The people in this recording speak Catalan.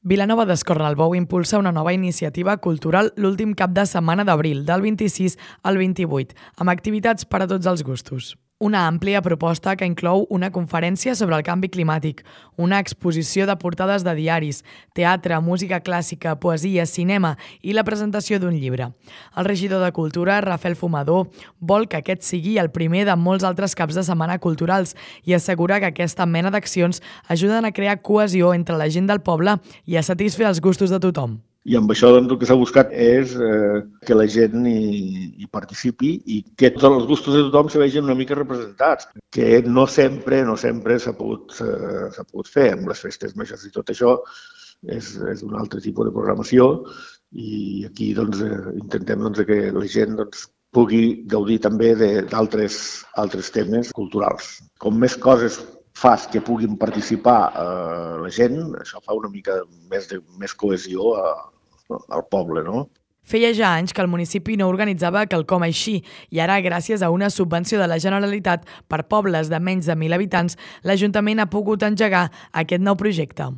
Vilanova d'Escornalbou impulsa una nova iniciativa cultural l'últim cap de setmana d'abril, del 26 al 28, amb activitats per a tots els gustos. Una àmplia proposta que inclou una conferència sobre el canvi climàtic, una exposició de portades de diaris, teatre, música clàssica, poesia, cinema i la presentació d'un llibre. El regidor de Cultura, Rafael Fumador, vol que aquest sigui el primer de molts altres caps de setmana culturals i assegura que aquesta mena d'accions ajuden a crear cohesió entre la gent del poble i a satisfer els gustos de tothom. I amb això el que s'ha buscat és que la gent hi participi i que tots els gustos de tothom se vegin una mica representats, que no sempre s'ha pogut fer amb les festes majors i tot això és un altre tipus de programació i aquí intentem que la gent pugui gaudir també d'altres temes culturals. Com més coses fas que puguin participar la gent, això fa una mica més cohesió al poble, no? Feia ja anys que el municipi no organitzava quelcom així i ara, gràcies a una subvenció de la Generalitat per pobles de menys de 1.000 habitants, l'Ajuntament ha pogut engegar aquest nou projecte.